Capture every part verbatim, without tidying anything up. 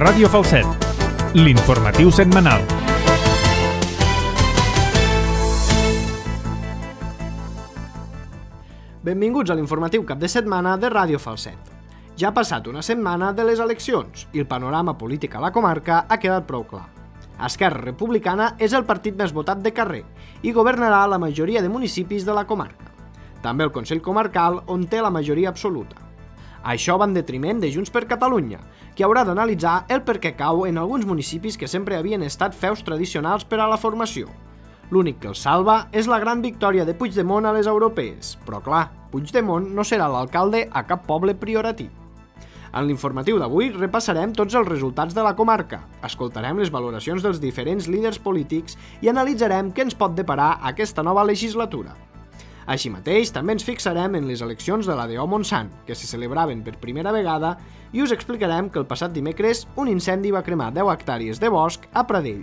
Ràdio Falset, l'informatiu setmanal. Benvinguts a l'informatiu cap de setmana de Ràdio Falset. Ja ha passat una setmana de les eleccions i el panorama polític a la comarca ha quedat prou clar. Esquerra Republicana és el partit més votat de carrer i governarà la majoria de municipis de la comarca. També el Consell Comarcal, on té la majoria absoluta. Això va en detriment de Junts per Catalunya, que haurà d'analitzar el per què cau en alguns municipis que sempre havien estat feus tradicionals per a la formació. L'únic que els salva és la gran victòria de Puigdemont a les europees, però clar, Puigdemont no serà l'alcalde a cap poble prioratí. En l'informatiu d'avui repassarem tots els resultats de la comarca, escoltarem les valoracions dels diferents líders polítics i analitzarem què ens pot deparar aquesta nova legislatura. Així mateix, també ens fixarem en les eleccions de l'A D O Montsant, que se celebraven per primera vegada, i us explicarem que el passat dimecres un incendi va cremar deu hectàrees de bosc a Pradell.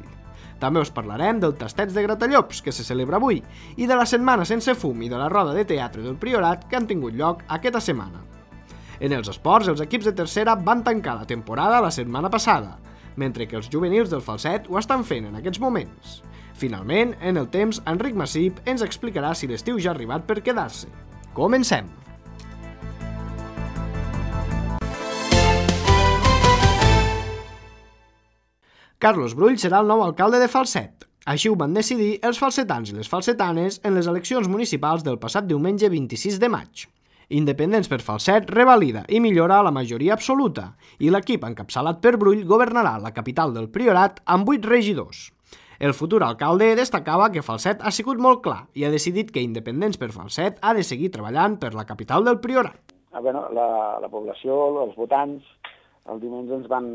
També us parlarem del Tasteig de Gratallops, que se celebra avui, i de la Setmana Sense Fum i de la roda de teatre del Priorat que han tingut lloc aquesta setmana. En els esports, els equips de tercera van tancar la temporada la setmana passada, mentre que els juvenils del Falset ho estan fent en aquests moments. Finalment, en el temps, Enric Massip ens explicarà si l'estiu ja ha arribat per quedar-se. Comencem! Carlos Brull serà el nou alcalde de Falset. Així ho van decidir els falsetans i les falsetanes en les eleccions municipals del passat diumenge vint-i-sis de maig. Independents per Falset revalida i millora la majoria absoluta i l'equip encapçalat per Brull governarà la capital del Priorat amb vuit regidors. El futur alcalde destacava que Falset ha sigut molt clar i ha decidit que Independents per Falset ha de seguir treballant per la capital del Priorat. Ah, bueno, la, la població, els votants, el diumenge ens van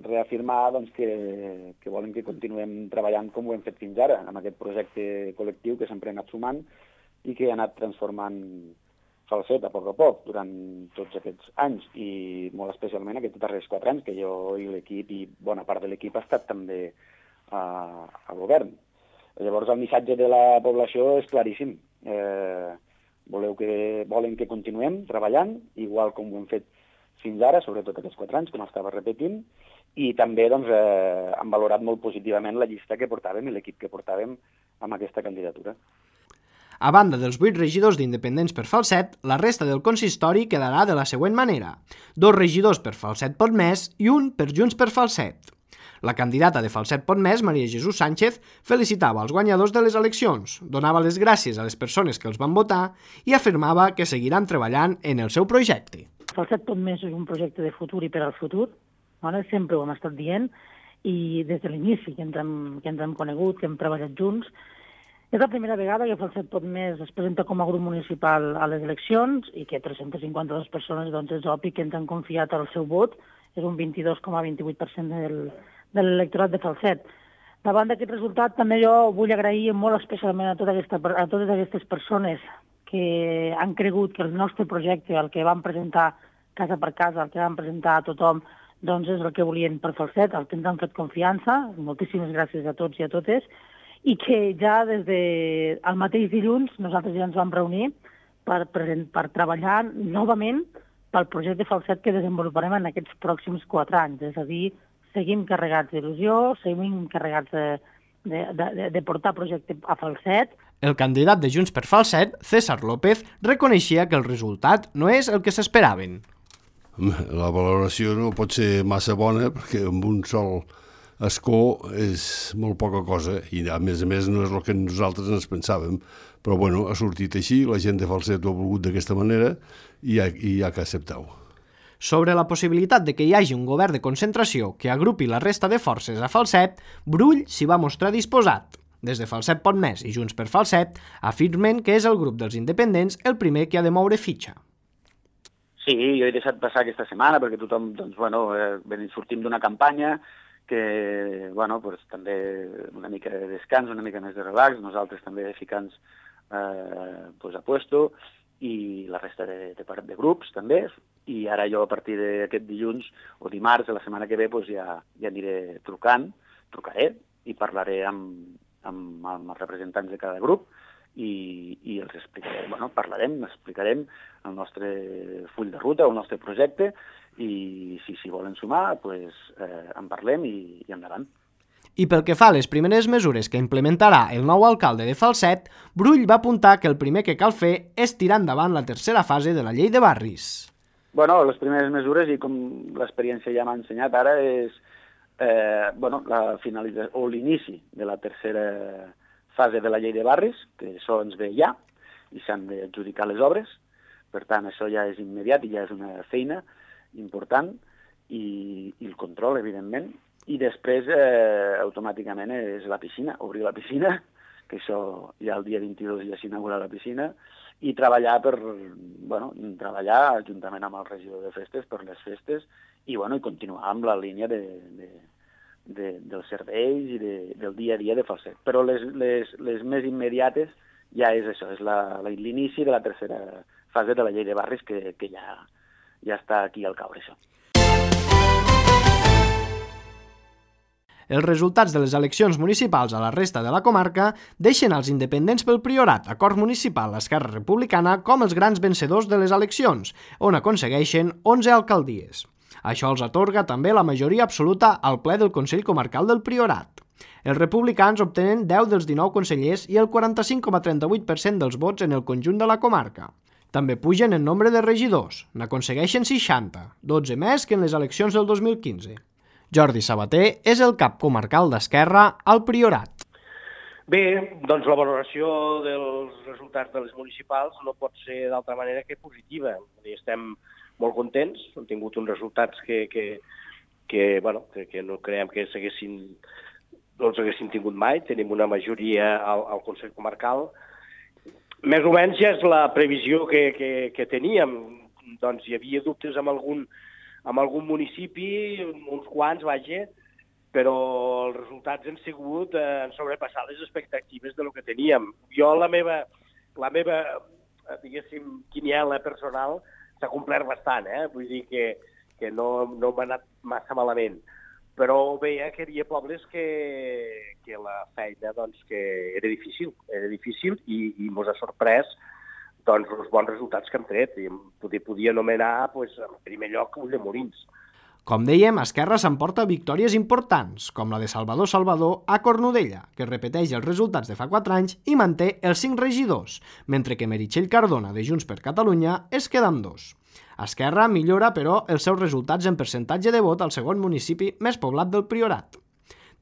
reafirmar doncs, que, que volen que continuem treballant com ho hem fet fins ara, amb aquest projecte col·lectiu que sempre ha anat sumant i que ha anat transformant Falset a poc a poc durant tots aquests anys i molt especialment aquests darrers quatre anys que jo i l'equip i bona part de l'equip ha estat també a, a govern. Llavors el missatge de la població és claríssim. Eh, voleu que, volen que continuem treballant, igual com ho hem fet fins ara, sobretot aquests quatre anys, com estava repetint, i també doncs, eh, han valorat molt positivament la llista que portàvem i l'equip que portàvem amb aquesta candidatura. A banda dels vuit regidors d'Independents per Falset, la resta del consistori quedarà de la següent manera. Dos regidors per Falset Potmés i un per Junts per Falset. La candidata de Falset Potmés, Maria Jesús Sánchez, felicitava els guanyadors de les eleccions, donava les gràcies a les persones que els van votar i afirmava que seguiran treballant en el seu projecte. Falset Potmés és un projecte de futur i per al futur, no? Sempre ho hem estat dient, i des de l'inici que ens hem, que ens hem conegut, que hem treballat junts. És la primera vegada que Falset Potmés es presenta com a grup municipal a les eleccions i que tres-centes cinquanta-dues persones doncs, és obvi que ens han confiat el seu vot, és un vint-i-dos coma vint-i-vuit per cent del, de l'electorat de Falset. Davant d'aquest resultat també jo vull agrair molt especialment a, tota aquesta, a totes aquestes persones que han cregut que el nostre projecte, el que vam presentar casa per casa, el que vam presentar a tothom, doncs és el que volien per Falset, el que ens han fet confiança. Moltíssimes gràcies a tots i a totes. I que ja des del mateix dilluns nosaltres ja ens vam reunir per, per treballar novament pel projecte Falset que desenvoluparem en aquests pròxims quatre anys. És a dir, seguim carregats d'il·lusió, seguim carregats de, de, de, de portar projecte a Falset. El candidat de Junts per Falset, César López, reconeixia que el resultat no és el que s'esperaven. La valoració no pot ser massa bona perquè amb un sol escó és molt poca cosa i a més a més no és el que nosaltres ens pensàvem, però bueno, ha sortit així, la gent de Falset ho ha volgut d'aquesta manera i hi ha, hi ha que acceptar-ho. Sobre la possibilitat de que hi hagi un govern de concentració que agrupi la resta de forces a Falset, Brull s'hi va mostrar disposat. Des de Falset Potmés i Junts per Falset afirmen que és el grup dels independents el primer que ha de moure fitxa. Sí, jo he deixat passar aquesta setmana perquè tothom, doncs, bueno, eh, sortim d'una campanya que, bueno, pues, també una mica de descans, una mica més de relax, nosaltres també ficant eh, pues, a puesto, i la resta de, de, de grups també, i ara jo a partir d'aquest dilluns o dimarts de la setmana que ve pues, ja, ja aniré trucant, trucaré i parlaré amb, amb, amb els representants de cada grup i, i els explicarem, bueno, parlarem, explicarem el nostre full de ruta, el nostre projecte, i si s'hi volen sumar, pues, eh, en parlem i, i endavant. I pel que fa a les primeres mesures que implementarà el nou alcalde de Falset, Brull va apuntar que el primer que cal fer és tirar endavant la tercera fase de la llei de barris. Bueno, les primeres mesures, i com l'experiència ja m'ha ensenyat ara, és eh, bueno, la finalització o l'inici de la tercera fase de la llei de barris, que això ens ve ja, i s'han d'adjudicar les obres. Per tant, això ja és immediat i ja és una feina important, i, i el control, evidentment. I després, eh, automàticament, és la piscina, obrir la piscina, que això ja el dia vint-i-dos ja s'inaugura la piscina, i treballar per, bueno, treballar juntament amb el regidor de festes per les festes, i, bueno, i continuar amb la línia de, de, de, dels serveis i de, del dia a dia de Falset. Però les, les, les més immediates ja és això, és l'inici de la tercera fase de la llei de barris, que, que ja, ja està aquí al caure, això. Els resultats de les eleccions municipals a la resta de la comarca deixen als independents pel Priorat, Acord Municipal, Esquerra Republicana, com els grans vencedors de les eleccions, on aconsegueixen onze alcaldies. Això els atorga també la majoria absoluta al ple del Consell Comarcal del Priorat. Els republicans obtenen deu dels dinou consellers i el quaranta-cinc coma trenta-vuit per cent dels vots en el conjunt de la comarca. També pugen en nombre de regidors, n'aconsegueixen seixanta, dotze més que en les eleccions del dos mil quinze. Jordi Sabater és el cap comarcal d'Esquerra al Priorat. Bé, doncs la valoració dels resultats de les municipals no pot ser d'altra manera que positiva. Estem molt contents, hem tingut uns resultats que, que, que, bueno, que, que no creiem que s'haguessin, no els haguessin tingut mai. Tenim una majoria al, al Consell Comarcal. Més o menys ja és la previsió que, que, que teníem. Doncs hi havia dubtes amb algun amb algun municipi, uns quants, vaja, però els resultats han sigut, eh, han sobrepassat les expectatives de lo que teníem. Jo, la meva, la meva diguéssim, quiniela personal s'ha complert bastant, eh? Vull dir que, que no, no m'ha anat massa malament. Però veia que hi havia pobles que, que la feina, doncs, que era difícil, era difícil i, i mos ha sorprès doncs, els bons resultats que hem tret. I podia, podia anomenar, doncs, en primer lloc, Ulldemolins. Com dèiem, Esquerra s'emporta victòries importants, com la de Salvador Salvador a Cornudella, que repeteix els resultats de fa quatre anys i manté els cinc regidors, mentre que Meritxell Cardona, de Junts per Catalunya, es queda amb dos. Esquerra millora, però, els seus resultats en percentatge de vot al segon municipi més poblat del Priorat.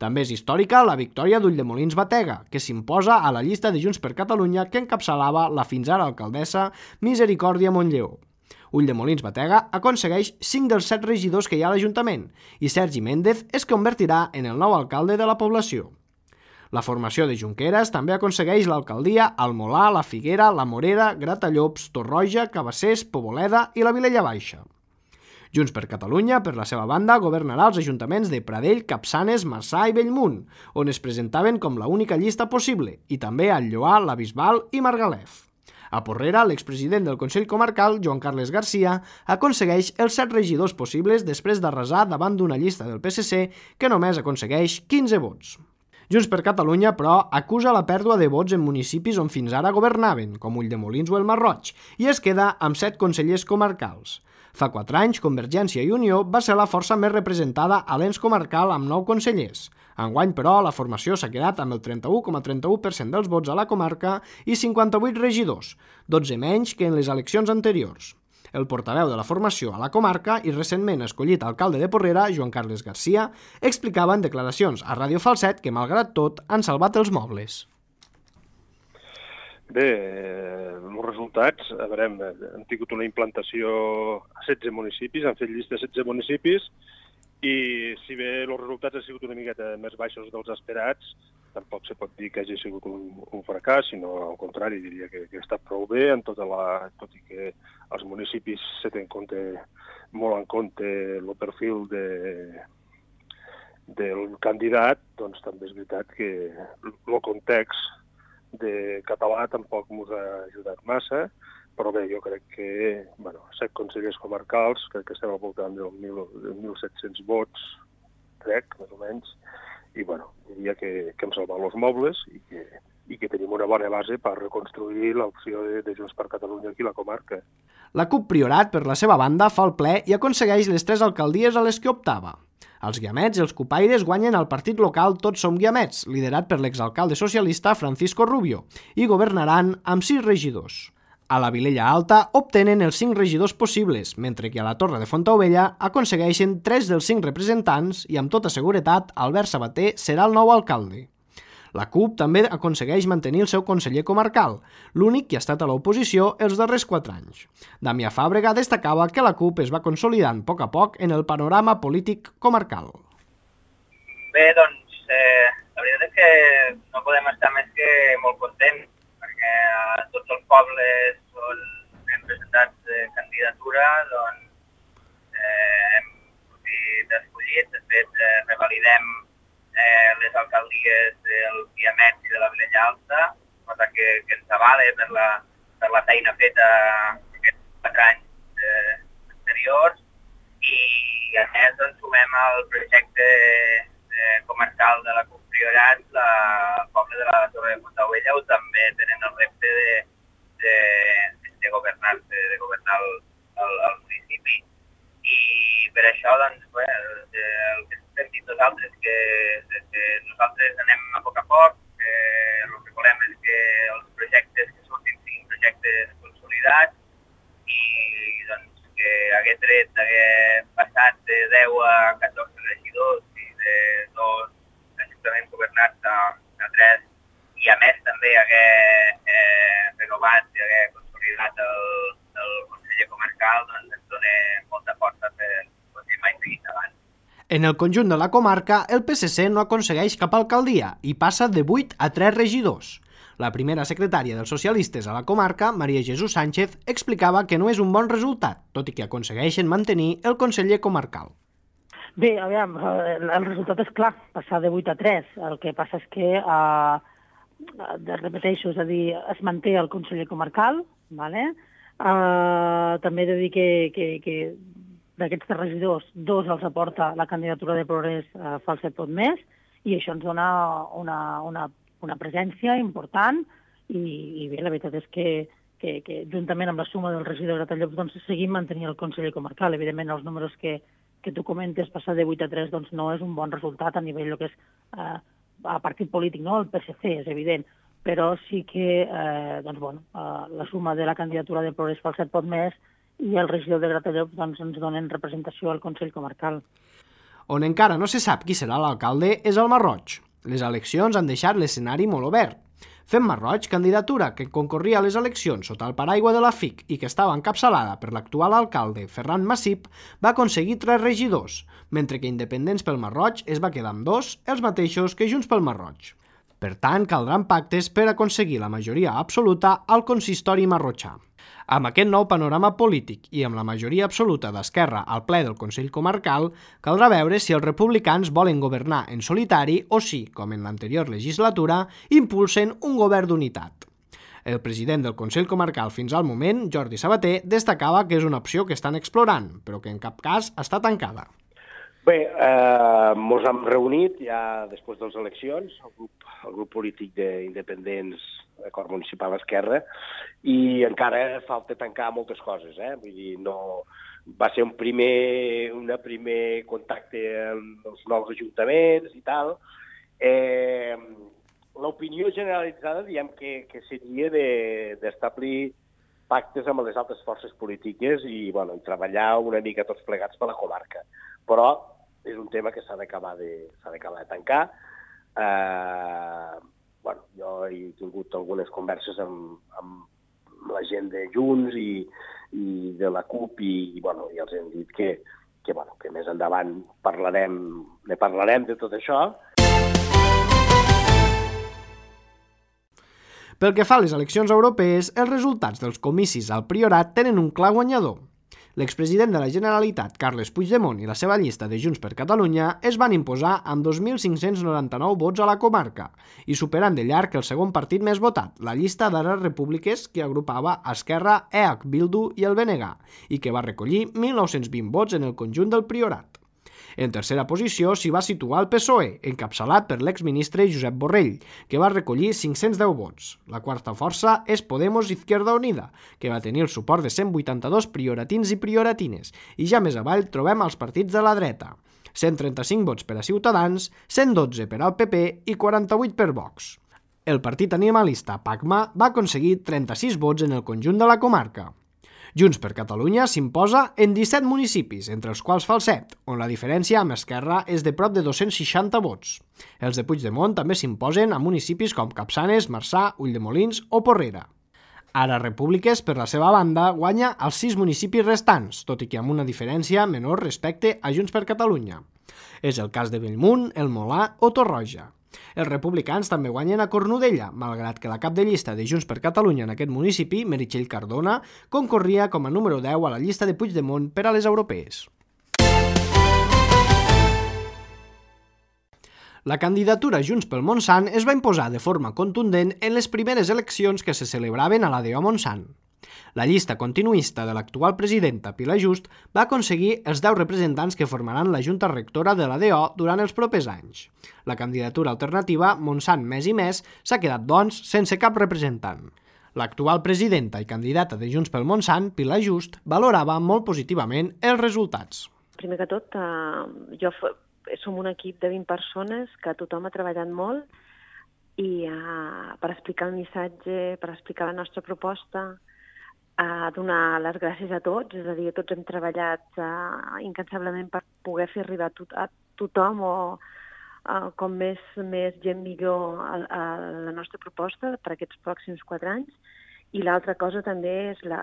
També és històrica la victòria d'Ulldemolins Batega, que s'imposa a la llista de Junts per Catalunya que encapçalava la fins ara alcaldessa Misericòrdia Montlleó. Ulldemolins Batega aconsegueix cinc dels set regidors que hi ha a l'Ajuntament i Sergi Méndez es convertirà en el nou alcalde de la població. La formació de Junqueras també aconsegueix l'alcaldia al Molar, la Figuera, la Morera, Gratallops, Torroja, Cabassers, Poboleda i la Vilella Baixa. Junts per Catalunya, per la seva banda, governarà els ajuntaments de Pradell, Capçanes, Marçà i Bellmunt, on es presentaven com la única llista possible, i també al Lloar, la Bisbal i Margalef. A Porrera, l'expresident del Consell Comarcal, Joan Carles Garcia, aconsegueix els set regidors possibles després d'arrasar davant d'una llista del P S C que només aconsegueix quinze vots. Junts per Catalunya, però, acusa la pèrdua de vots en municipis on fins ara governaven, com Ulldemolins o el Masroig, i es queda amb set consellers comarcals. Fa quatre anys, Convergència i Unió va ser la força més representada a l'ens comarcal amb nou consellers. Enguany, però, la formació s'ha quedat amb el trenta-u coma trenta-u per cent dels vots a la comarca i cinquanta-vuit regidors, dotze menys que en les eleccions anteriors. El portaveu de la formació a la comarca i recentment escollit alcalde de Porrera, Joan Carles Garcia, explicava en declaracions a Ràdio Falset que, malgrat tot, han salvat els mobles. Bé, eh, els resultats, a veure, hem tingut una implantació a setze municipis, han fet llista de setze municipis, i si bé els resultats han sigut una miqueta més baixos dels esperats, tampoc se pot dir que hagi sigut un, un fracàs, sinó al contrari, diria que, que ha estat prou bé, en tota la, tot i que els municipis se tenen compte, molt en compte el perfil de, del candidat, doncs també és veritat que el context de català tampoc ens ha ajudat massa, però bé, jo crec que, bueno, set consellers comarcals, crec que estem al voltant dels mil set-cents vots, crec, més o menys, i, bueno, diria que, que hem salvat els mobles i que i que tenim una bona base per reconstruir l'opció de, de Junts per Catalunya aquí a la comarca. La CUP Priorat, per la seva banda, fa el ple i aconsegueix les tres alcaldies a les que optava. Els guiamets i els cupaires guanyen al partit local Tots som guiamets, liderat per l'exalcalde socialista Francisco Rubio, i governaran amb sis regidors. A la Vilella Alta obtenen els cinc regidors possibles, mentre que a la Torre de Fontaubella aconsegueixen tres dels cinc representants i amb tota seguretat Albert Sabater serà el nou alcalde. La CUP també aconsegueix mantenir el seu conseller comarcal, l'únic que ha estat a l'oposició els darrers quatre anys. Damià Fàbrega destacava que la CUP es va consolidant a poc a poc en el panorama polític comarcal. Bé, doncs, eh, la veritat és que no podem estar més que molt contents, perquè a tots els pobles on hem presentat eh, candidatura, doncs, eh, hem sortit escollits, de fet, eh, revalidem Eh, les alcaldies del Guiamets i de la Vilella Alta, cosa que, que ens avala per la, per la feina feta aquests quatre anys eh, anteriors, i a més doncs, sumem al projecte eh, comarcal de la CUP Priorat, la, el poble de la Torre de Fontaubella, on també tenen el repte de, de, de governar, de, de governar el, el, el municipi. I per això, doncs, bé, el, el que hem dit nosaltres, que, que nosaltres anem a poc a poc, que el que volem és que els projectes que surtin siguin projectes consolidats i doncs, que hagués tret d'haver passat de deu a catorze regidors i de dos ajuntaments governats a, a tres, i a més també haver eh, renovat i haver consolidat el, el conseller comarcal, doncs ens dona molta força per continuar i seguir endavant. En el conjunt de la comarca, el P S C no aconsegueix cap alcaldia i passa de vuit a tres regidors. La primera secretària dels socialistes a la comarca, Maria Jesús Sánchez, explicava que no és un bon resultat, tot i que aconsegueixen mantenir el conseller comarcal. Bé, aviam, el resultat és clar, passar de vuit a tres. El que passa és que, eh, repeteixo, és a dir, es manté el conseller comarcal, vale? eh, també he de dir que, que, que d'aquests tres regidors, dos els aporta la candidatura de Progrés a Falset Pot Més, i això ens dona una, una, una presència important, i, i bé, la veritat és que, que, que juntament amb la suma del regidor de Gratallops doncs, seguim mantenint el conseller comarcal. Evidentment, els números que, que tu comentes, passar de vuit a tres, doncs no és un bon resultat a nivell del que és eh, a partit polític, no? El P S C, és evident, però sí que eh, doncs, bueno, eh, la suma de la candidatura de Progrés Falset Pot Més i el regidor de Gratallops doncs, ens donen representació al Consell Comarcal. On encara no se sap qui serà l'alcalde és el Masroig. Les eleccions han deixat l'escenari molt obert. Fem Masroig, candidatura que concorria a les eleccions sota el paraigua de la F I C i que estava encapçalada per l'actual alcalde Ferran Massip, va aconseguir tres regidors, mentre que Independents pel Masroig es va quedar amb dos, els mateixos que Junts pel Masroig. Per tant, caldran pactes per aconseguir la majoria absoluta al consistori marrotxà. Amb aquest nou panorama polític i amb la majoria absoluta d'Esquerra al ple del Consell Comarcal, caldrà veure si els republicans volen governar en solitari o si, com en l'anterior legislatura, impulsen un govern d'unitat. El president del Consell Comarcal fins al moment, Jordi Sabater, destacava que és una opció que estan explorant, però que en cap cas està tancada. Bé, eh, ens hem reunit ja després de les eleccions, el grup, el grup polític d'independents, d'acord municipal Esquerra, i encara falta tancar moltes coses, eh? Vull dir, no... Va ser un primer, una primer contacte amb els nous ajuntaments i tal. Eh, L'opinió generalitzada, diem que, que seria d'establir pactes amb les altres forces polítiques i, bueno, treballar una mica tots plegats per la comarca. Però és un tema que s'ha d'acabar de, s'ha d'acabar de tancar. Eh, bueno, jo he tingut algunes converses amb, amb la gent de Junts i, i de la CUP i, i, bueno, i els hem dit que, que, bueno, que més endavant parlarem, ne parlarem de tot això. Pel que fa a les eleccions europees, els resultats dels comicis al Priorat tenen un clar guanyador. L'expresident de la Generalitat, Carles Puigdemont, i la seva llista de Junts per Catalunya es van imposar amb dos mil cinc-cents noranta-nou vots a la comarca i superant de llarg el segon partit més votat, la llista d'Ares Repúbliques, que agrupava Esquerra, E H, Bildu i el B N G, i que va recollir mil nou-cents vint vots en el conjunt del Priorat. En tercera posició s'hi va situar el P S O E, encapçalat per l'exministre Josep Borrell, que va recollir cinc-cents deu vots. La quarta força és Podemos Izquierda Unida, que va tenir el suport de cent vuitanta-dos prioratins i prioratines, i ja més avall trobem els partits de la dreta. cent trenta-cinc vots per a Ciutadans, cent dotze per al P P i quaranta-vuit per Vox. El partit animalista PACMA va aconseguir trenta-sis vots en el conjunt de la comarca. Junts per Catalunya s'imposa en disset municipis, entre els quals Falset, on la diferència amb Esquerra és de prop de dos-cents seixanta vots. Els de Puigdemont també s'imposen a municipis com Capçanes, Marçà, Ulldemolins o Porrera. Ara Repúbliques, per la seva banda, guanya els sis municipis restants, tot i que amb una diferència menor respecte a Junts per Catalunya. És el cas de Bellmunt, El Molar o Torroja. Els republicans també guanyen a Cornudella, malgrat que la cap de llista de Junts per Catalunya en aquest municipi, Meritxell Cardona, concorria com a número deu a la llista de Puigdemont per a les europees. La candidatura Junts pel Montsant es va imposar de forma contundent en les primeres eleccions que se celebraven a l'A D O Montsant. La llista continuista de l'actual presidenta Pilar Just va aconseguir els deu representants que formaran la Junta Rectora de l'A D O durant els propers anys. La candidatura alternativa, Montsant Més i Més, s'ha quedat, doncs, sense cap representant. L'actual presidenta i candidata de Junts pel Montsant, Pilar Just, valorava molt positivament els resultats. Primer que tot, eh, jo som un equip de vint persones que tothom ha treballat molt i eh, per explicar el missatge, per explicar la nostra proposta, a donar les gràcies a tots, és a dir, tots hem treballat uh, incansablement per poder fer arribar a, to a tothom o uh, com més, més gent millor a, a la nostra proposta per aquests pròxims quatre anys. I l'altra cosa també és la,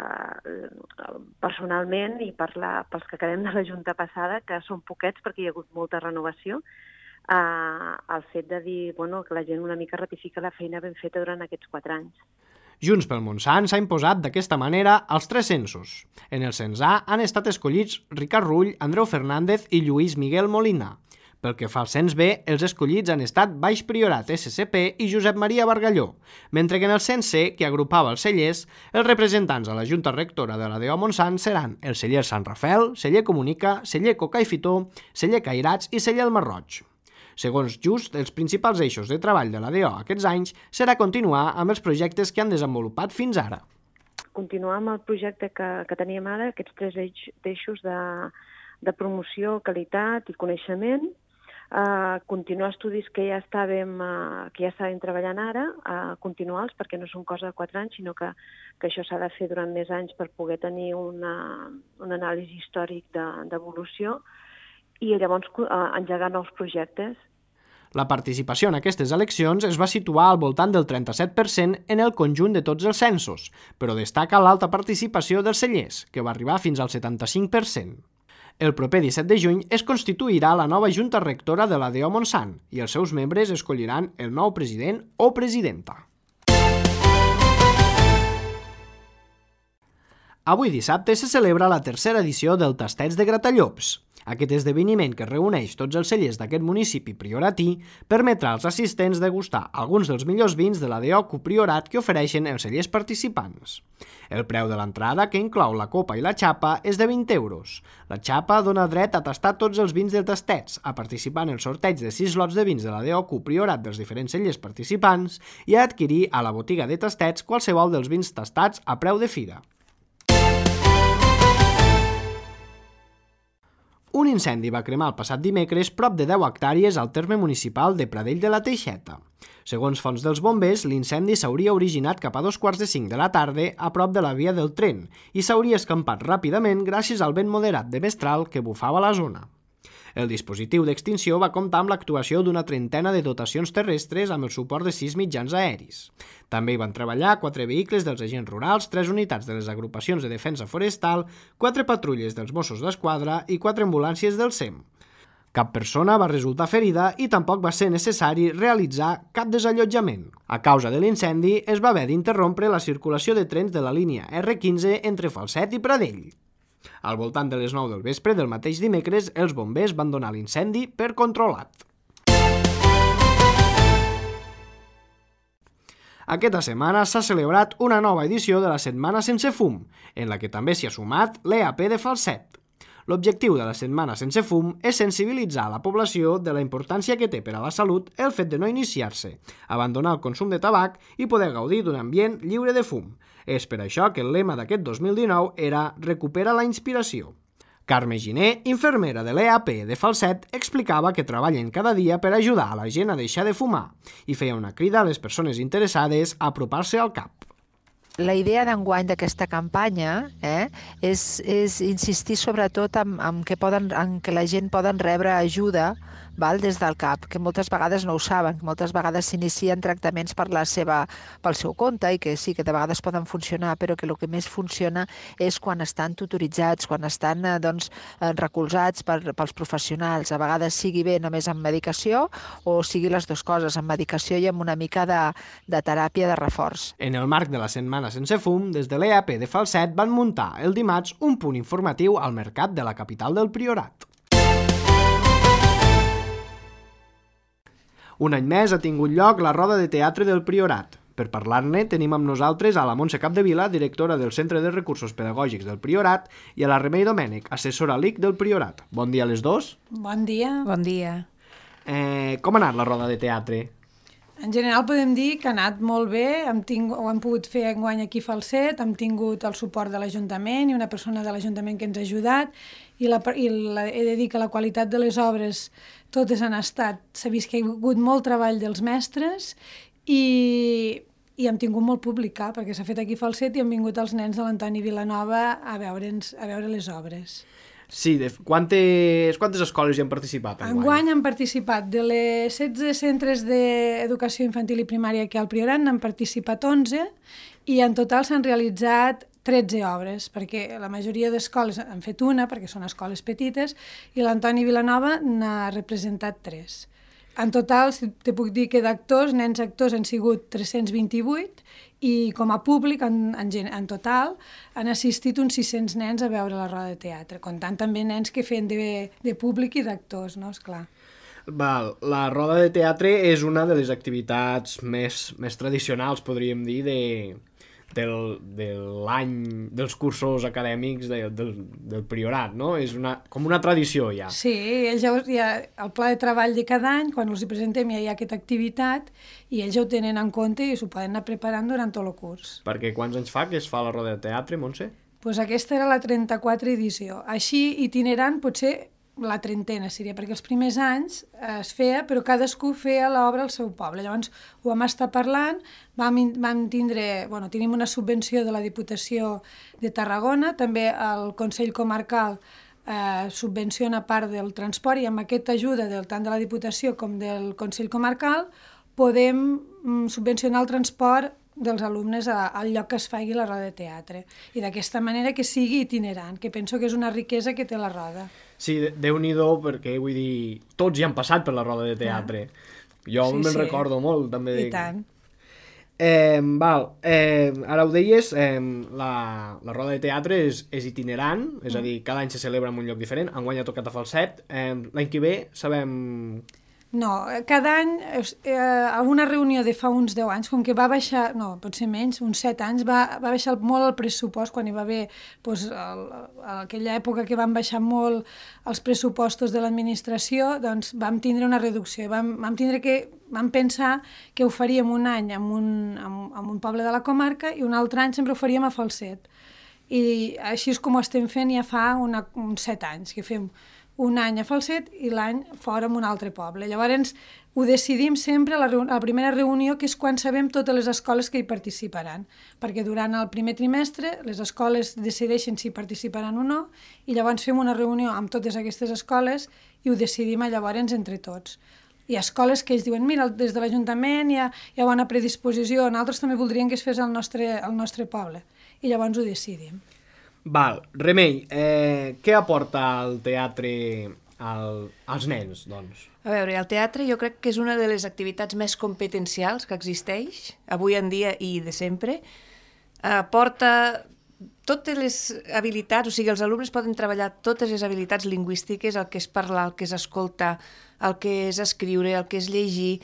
personalment i per la, pels que quedem de la Junta passada, que són poquets perquè hi ha hagut molta renovació, uh, el fet de dir bueno, que la gent una mica ratifica la feina ben feta durant aquests quatre anys. Junts pel Montsant s'ha imposat d'aquesta manera als tres censos. En el cens A han estat escollits Ricard Rull, Andreu Fernández i Lluís Miguel Molina. Pel que fa al cens B, els escollits han estat Baix Priorat S C P i Josep Maria Bargalló, mentre que en el cens C, que agrupava els cellers, els representants a la Junta Rectora de l'A D O Montsant seran el celler Sant Rafel, celler Comunica, celler Coca i Fitó, celler Cairats i celler El Marroig. Segons Just, els principals eixos de treball de l'A D O aquests anys serà continuar amb els projectes que han desenvolupat fins ara. Continuar amb el projecte que, que teníem ara, aquests tres eix, eixos de, de promoció, qualitat i coneixement, uh, continuar estudis que ja estàvem, uh, que ja estàvem treballant ara, uh, continuar-los perquè no són cosa de quatre anys, sinó que, que això s'ha de fer durant més anys per poder tenir una, un anàlisi històric d'evolució de, i llavors uh, engegar nous projectes. La participació en aquestes eleccions es va situar al voltant del trenta-set per cent en el conjunt de tots els censos, però destaca l'alta participació dels cellers, que va arribar fins al setanta-cinc per cent. El proper disset de juny es constituirà la nova Junta Rectora de l'A D O Montsant i els seus membres escolliran el nou president o presidenta. Avui dissabte se celebra la tercera edició del Tastets de Gratallops. Aquest esdeveniment, que reuneix tots els cellers d'aquest municipi prioratí, permetrà als assistents degustar alguns dels millors vins de l'A D O Copriorat que ofereixen els cellers participants. El preu de l'entrada, que inclou la copa i la xapa, és de vint euros. La xapa dona dret a tastar tots els vins de tastets, a participar en el sorteig de sis lots de vins de l'A D O Copriorat dels diferents cellers participants i a adquirir a la botiga de tastets qualsevol dels vins tastats a preu de fira. Un incendi va cremar el passat dimecres prop de deu hectàrees al terme municipal de Pradell de la Teixeta. Segons fonts dels bombers, l'incendi s'hauria originat cap a dos quarts de cinc de la tarda a prop de la via del tren i s'hauria escampat ràpidament gràcies al vent moderat de mestral que bufava a la zona. El dispositiu d'extinció va comptar amb l'actuació d'una trentena de dotacions terrestres amb el suport de sis mitjans aeris. També hi van treballar quatre vehicles dels agents rurals, tres unitats de les agrupacions de defensa forestal, quatre patrulles dels Mossos d'Esquadra i quatre ambulàncies del S E M. Cap persona va resultar ferida i tampoc va ser necessari realitzar cap desallotjament. A causa de l'incendi, es va haver d'interrompre la circulació de trens de la línia R quinze entre Falset i Pradell. Al voltant de les nou del vespre del mateix dimecres, els bombers van donar l'incendi per controlat. Aquesta setmana s'ha celebrat una nova edició de la Setmana Sense Fum, en la que també s'hi ha sumat l'E A P de Falset. L'objectiu de la Setmana Sense Fum és sensibilitzar la població de la importància que té per a la salut el fet de no iniciar-se, abandonar el consum de tabac i poder gaudir d'un ambient lliure de fum. És per això que el lema d'aquest dos mil dinou era «Recupera la inspiració». Carme Giner, infermera de l'E A P de Falset, explicava que treballen cada dia per ajudar a la gent a deixar de fumar i feia una crida a les persones interessades a apropar-se al cap. La idea d'enguany d'aquesta campanya eh, és, és insistir sobretot en, en, que poden, en que la gent poden rebre ajuda val, des del cap, que moltes vegades no ho saben, que moltes vegades s'inicien tractaments per la seva, pel seu compte i que sí, que de vegades poden funcionar, però que el que més funciona és quan estan tutoritzats, quan estan eh, doncs, recolzats per, pels professionals, a vegades sigui bé només amb medicació o sigui les dues coses, amb medicació i amb una mica de, de teràpia de reforç. En el marc de la Setmana Sense Fum, des de l'E A P de Falset van muntar el dimarts un punt informatiu al mercat de la capital del Priorat. Un any més ha tingut lloc la roda de teatre del Priorat. Per parlar-ne tenim amb nosaltres a la Montse Capdevila, directora del Centre de Recursos Pedagògics del Priorat, i a la Remei Domènech, assessora L I C del Priorat. Bon dia a les dos. Bon dia. Bon dia. Eh, com ha anat la roda de teatre? En general podem dir que ha anat molt bé, hem tingut, ho hem pogut fer enguany aquí a Falset, hem tingut el suport de l'Ajuntament i una persona de l'Ajuntament que ens ha ajudat, i, la, i la, he de dir que la qualitat de les obres totes han estat, s'ha vist que hi ha hagut molt treball dels mestres i, i hem tingut molt públic, eh, perquè s'ha fet aquí a Falset i han vingut els nens de l'Antoni Vilanova a veure'ns, a veure les obres. Sí, de, quantes, quantes escoles hi han participat enguany? Enguany han participat de les setze centres d'educació infantil i primària que hi ha al Priorat, n'han participat onze i en total s'han realitzat tretze obres, perquè la majoria d'escoles han fet una, perquè són escoles petites, i l'Antoni Vilanova n'ha representat tres. En total, si te puc dir que d'actors, nens actors han sigut tres-cents vint-i-vuit i com a públic, en, en, en total, han assistit uns sis-cents nens a veure la roda de teatre, comptant també nens que feien de, de públic i d'actors, no? Esclar. Val, la roda de teatre és una de les activitats més, més tradicionals, podríem dir, de, del, de l'any dels cursos acadèmics de, del, del Priorat, no? És una, com una tradició ja. Sí, ells ja, ja, el pla de treball de cada any, quan els hi presentem ja hi ha aquesta activitat i ells ja ho tenen en compte i s'ho poden anar preparant durant tot el curs. Perquè quants anys fa que es fa la roda de teatre, Montse? Pues aquesta era la trenta-quatre edició. Així, itinerant, potser la trentena seria, perquè els primers anys es feia, però cadascú feia l'obra al seu poble. Llavors ho vam estar parlant, vam, vam tindre, bueno, tenim una subvenció de la Diputació de Tarragona, també el Consell Comarcal eh, subvenciona part del transport i amb aquesta ajuda del, tant de la Diputació com del Consell Comarcal podem mm, subvencionar el transport dels alumnes a, al lloc que es faci la roda de teatre. I d'aquesta manera que sigui itinerant, que penso que és una riquesa que té la roda. Sí, Déu-n'hi-do, perquè vull dir, tots hi han passat per la roda de teatre. Ah. Jo sí, me'n sí. recordo molt, també. I tant. Eh, val, eh, ara ho deies, eh, la, la roda de teatre és, és itinerant, és a dir, cada any se celebra en un lloc diferent, enguany ha tocat a Falset, eh, l'any que ve sabem... No, cada any, eh, alguna reunió de fa uns deu anys, com que va baixar, no, potser menys, uns set anys, va, va baixar molt el pressupost, quan hi va haver, doncs, el, aquella època que van baixar molt els pressupostos de l'administració, doncs vam tindre una reducció, vam, vam tindre que, vam pensar que ho faríem un any en un, en, en un poble de la comarca i un altre any sempre ho faríem a Falset. I així és com ho estem fent ja fa una, uns set anys, que fem un any a Falset i l'any fora en un altre poble. Llavors ho decidim sempre a la, a la primera reunió, que és quan sabem totes les escoles que hi participaran, perquè durant el primer trimestre les escoles decideixen si participaran o no i llavors fem una reunió amb totes aquestes escoles i ho decidim llavors entre tots. Hi ha escoles que ells diuen, mira, des de l'Ajuntament hi ha, hi ha bona predisposició, nosaltres també voldríem que es fes al nostre, al nostre poble i llavors ho decidim. Val, Remei, eh, què aporta el teatre al, als nens, doncs? A veure, el teatre jo crec que és una de les activitats més competencials que existeix, avui en dia i de sempre. Aporta totes les habilitats, o sigui, els alumnes poden treballar totes les habilitats lingüístiques, el que és parlar, el que és escoltar, el que és escriure, el que és llegir,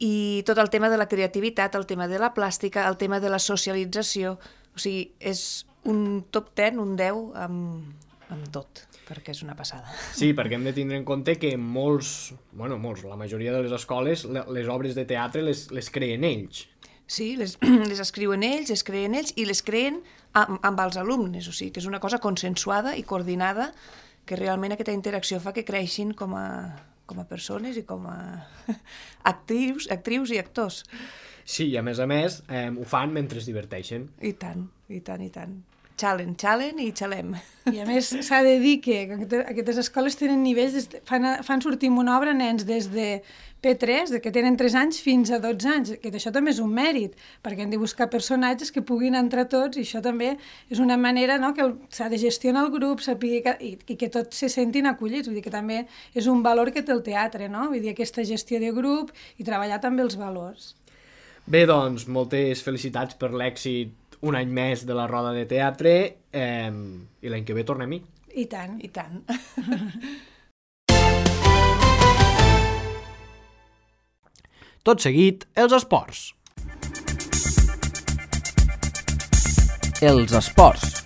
i tot el tema de la creativitat, el tema de la plàstica, el tema de la socialització, o sigui, és un top ten, un deu, amb, amb tot, perquè és una passada. Sí, perquè hem de tindre en compte que molts, bueno, molts, la majoria de les escoles, les obres de teatre les, les creen ells. Sí, les, les escriuen ells, les creen ells i les creen amb, amb els alumnes, o sigui, que és una cosa consensuada i coordinada, que realment aquesta interacció fa que creixin com a, com a persones i com a actrius, actrius i actors. Sí, i a més a més eh, ho fan mentre es diverteixen. I tant, i tant, i tant. Xalen, xalen i xalem. I a més s'ha de dir que aquestes escoles tenen nivells, des de, fan, fan sortir amb una obra nens des de P tres, que tenen tres anys, fins a dotze anys, que això també és un mèrit, perquè hem de buscar personatges que puguin entrar tots, i això també és una manera, no?, que s'ha de gestionar el grup, saber que, i, i que tots se sentin acollits, vull dir que també és un valor que té el teatre, no?, vull dir aquesta gestió de grup i treballar també els valors. Bé, doncs, moltes felicitats per l'èxit un any més de la Roda de Teatre eh, i l'any que ve tornem-hi. I tant. I tant. Tot seguit, els esports. Els esports.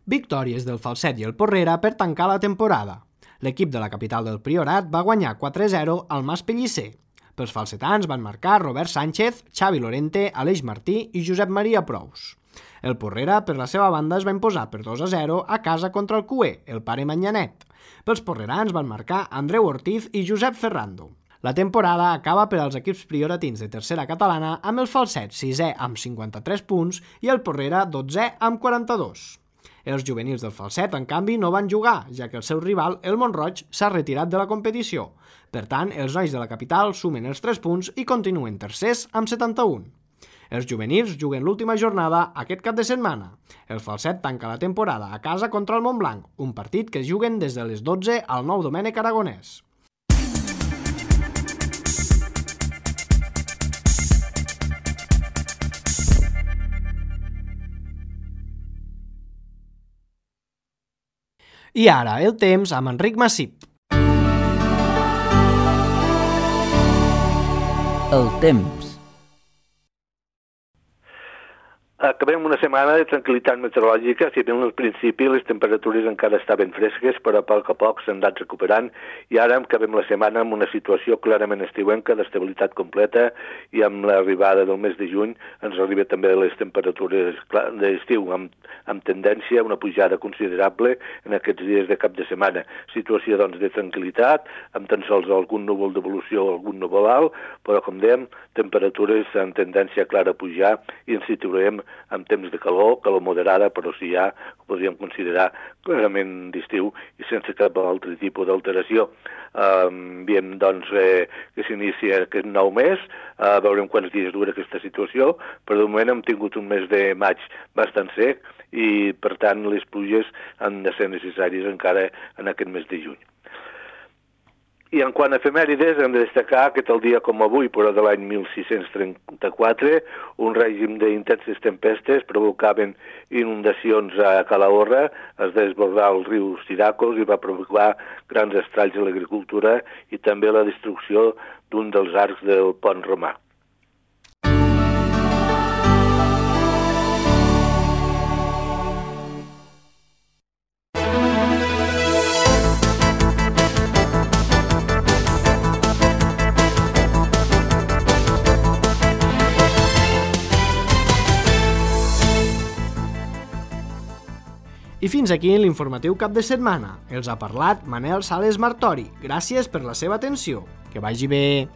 Victòries del Falset i el Porrera per tancar la temporada. L'equip de la capital del Priorat va guanyar quatre a zero al Mas Pellicer. Pels falsetans van marcar Robert Sánchez, Xavi Lorente, Aleix Martí i Josep Maria Prous. El Porrera, per la seva banda, es va imposar per dos a zero a casa contra el Cué, el pare Manyanet. Pels porrerans van marcar Andreu Ortiz i Josep Ferrando. La temporada acaba per als equips prioratins de tercera catalana amb el Falset sisè amb cinquanta-tres punts i el Porrera dotzè amb quaranta-dos. Els juvenils del Falset, en canvi, no van jugar, ja que el seu rival, el Mont-roig, s'ha retirat de la competició. Per tant, els nois de la capital sumen els tres punts i continuen tercers amb setanta-un. Els juvenils juguen l'última jornada aquest cap de setmana. El Falset tanca la temporada a casa contra el Montblanc, un partit que juguen des de les dotze al Nou Domènec Aragonès. I ara, el temps amb Enric Massip. El temps. Acabem una setmana de tranquil·litat meteorològica, si bé al principi les temperatures encara estaven fresques, però a poc a poc s'han anat recuperant, i ara acabem la setmana amb una situació clarament estiuenca, d'estabilitat completa, i amb l'arribada del mes de juny ens arriba també les temperatures d'estiu, amb, amb tendència a una pujada considerable en aquests dies de cap de setmana. Situació, doncs, de tranquil·litat, amb tan sols algun núvol d'evolució o algun núvol alt, però, com dèiem, temperatures amb tendència clara a pujar, i ens situarem amb temps de calor, calor moderada, però sí ja ho podríem considerar clarament d'estiu i sense cap altre tipus d'alteració. Um, Veiem, doncs, eh, que s'inicia aquest nou mes, uh, veurem quants dies dura aquesta situació, però de moment hem tingut un mes de maig bastant sec i, per tant, les pluges han de ser necessàries encara en aquest mes de juny. I en quant a efemèrides, hem de destacar que tal dia com avui, però de l'any mil sis-cents trenta-quatre, un règim d'intenses tempestes provocaven inundacions a Calahorra, es desbordà el riu Siracos i va provocar grans estralls a l'agricultura i també la destrucció d'un dels arcs del pont romà. I fins aquí l'informatiu cap de setmana. Els ha parlat Manel Sales Martori. Gràcies per la seva atenció. Que vagi bé.